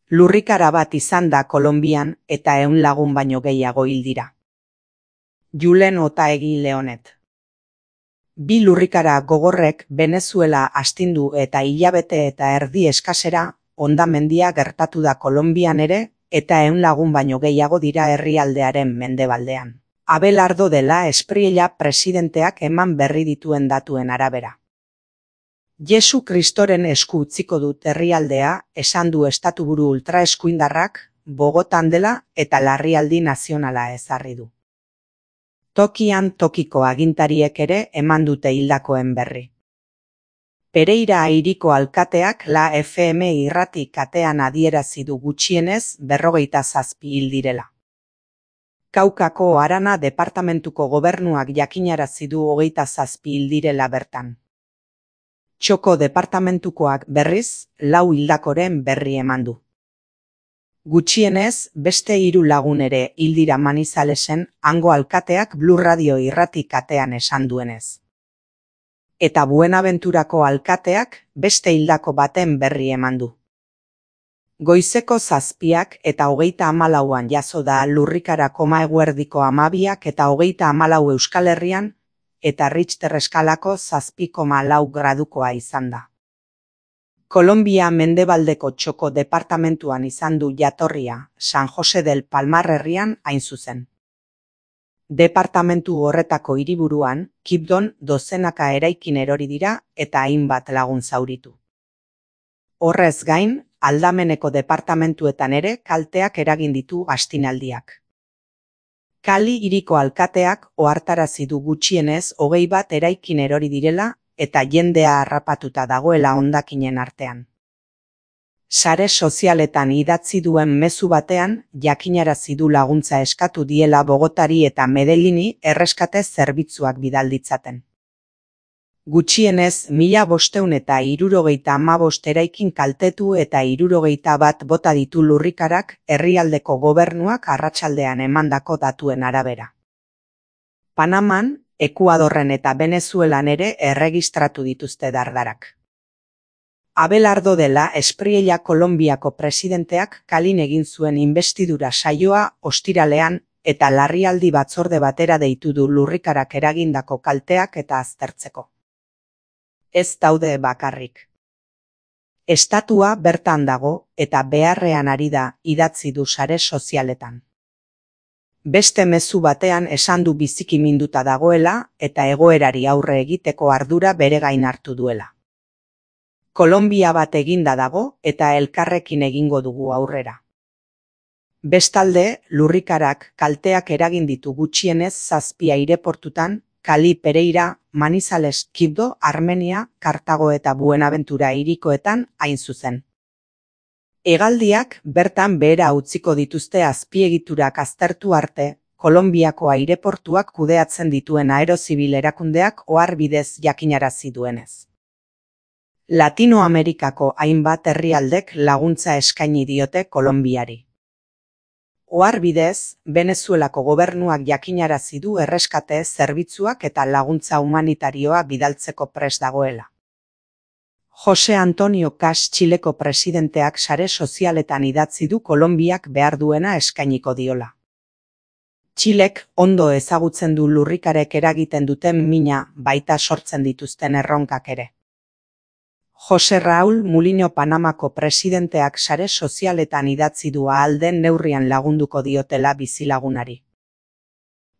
Lurrikara bat izan da Kolonbian eta 100 lagun baino gehiago hil dira. Julen Otaegi Leonet. Bi lurrikara gogorrek Venezuela astindu eta hilabete eta erdi eskasera hondamendia gertatu da Kolonbian ere eta 100 lagun baino gehiago dira herrialdearen mendebaldean. Abelardo dela Espriella presidenteak eman berri dituen datuen arabera. Jesu Kristoren esku utziko dut herrialdea, esan du estatuburu ultraeskuindarrak, Bogotan dela eta larrialdi nazionala ezarri du. Tokian tokiko agintariek ere eman dute hildakoen berri. Pereira hiriko alkateak La FM irrati katean adierazi du gutxienez 57 hil direla. Kaukako Arana departamentuko gobernuak jakinarazi du 27 hil direla bertan. Txoko departamentukoak berriz 4 hildakoren berri eman du. Gutxienez, beste 3 lagun ere hil dira Manizalesen hango alkateak Blue Radio irrati katean esan duenez. Eta Buenaventurako alkateak beste hildako baten berri eman du. Goizeko 7 eta 34an jazo da lurrikara eguerdiko 12 eta 34 Euskal Herrian, eta Richter eskalako 7,4 gradukoa izan da. Kolonbia mendebaldeko Txoko departamentuan izan du jatorria, San Jose del Palmar herrian hain zuzen. Departamentu horretako hiriburuan, Kibdon dozenaka eraikin erori dira eta hainbat lagun zauritu. Horrez gain, Aldameneko departamentuetan ere kalteak eragin ditu astinaldiak. Kali hiriko alkateak ohartarazi du gutxienez 21 eraikin erori direla eta jendea harrapatuta dagoela hondakinen artean. Sare sozialetan idatzi duen mezu batean jakinarazi du laguntza eskatu diela Bogotari eta Medellini erreskate zerbitzuak bidal ditzaten. Gutxienez 1575 eraikin kaltetu eta 61 bota ditu lurrikarak herrialdeko gobernuak arratsaldean emandako datuen arabera. Panaman, Ekuadorren eta Venezuelan ere erregistratu dituzte dardarak. Abelardo dela Espriella Kolonbiako presidenteak Kalin egin zuen inbestidura saioa ostiralean eta larrialdi batzorde batera deitu du lurrikarak eragindako kalteak eta aztertzeko. Ez daude bakarrik. Estatua bertan dago eta beharrean ari da idatzi du sare sozialetan. Beste mezu batean esan du biziki minduta dagoela eta egoerari aurre egiteko ardura bere gain hartu duela. Kolonbia bat eginda dago eta elkarrekin egingo dugu aurrera. Bestalde, lurrikarak kalteak eragin ditu gutxienez 7 aireportutan, Kali, Pereira, Manizales, Kibdo, Armenia, Kartago eta Buenaventura hirikoetan hain zuzen. Hegaldiak bertan behera utziko dituzte azpiegiturak aztertu arte, Kolonbiako aireportuak kudeatzen dituen aerozibil erakundeak oharbidez jakinarazi duenez. Latinoamerikako hainbat herrialdek laguntza eskaini diote Kolonbiari. Oharbidez, Venezuelako gobernuak jakinarazi du erreskate zerbitzuak eta laguntza humanitarioa bidaltzeko prest dagoela. Jose Antonio Cas Txileko presidenteak sare sozialetan idatzi du Kolonbiak behar duena eskainiko diola. Txilek ondo ezagutzen du lurrikarek eragiten duten mina baita sortzen dituzten erronkak ere. Jose Raúl Mulino Panamako presidenteak sare sozialetan idatzi du ahal den neurrian lagunduko diotela bizilagunari.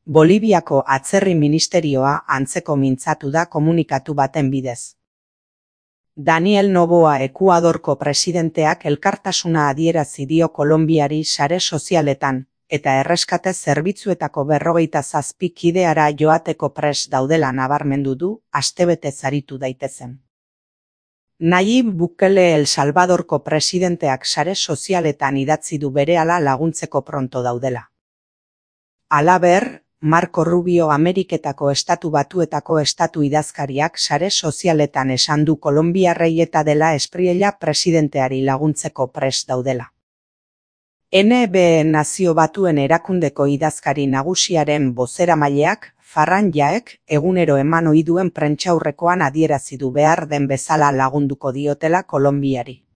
Boliviako atzerri ministerioa antzeko mintzatu da komunikatu baten bidez. Daniel Noboa Ekuadorko presidenteak elkartasuna adierazi dio Kolonbiari sare sozialetan eta erreskate zerbitzuetako 57 kideara joateko prest daudela nabarmendu du astebete zaritu daitezen. Nayib Bukele El Salvadorko presidenteak sare sozialetan idatzi du berehala laguntzeko pronto daudela. Halaber, Marco Rubio Ameriketako Estatu Batuetako estatu idazkariak sare sozialetan esan du Kolonbiarrei eta dela Espriella presidenteari laguntzeko prest daudela. NB Nazio Batuen erakundeko idazkari nagusiaren bozeramaileak Farran Jaek egunero eman ohi duen prentsaurrekoan adierazi du behar den bezala lagunduko diotela Kolonbiari.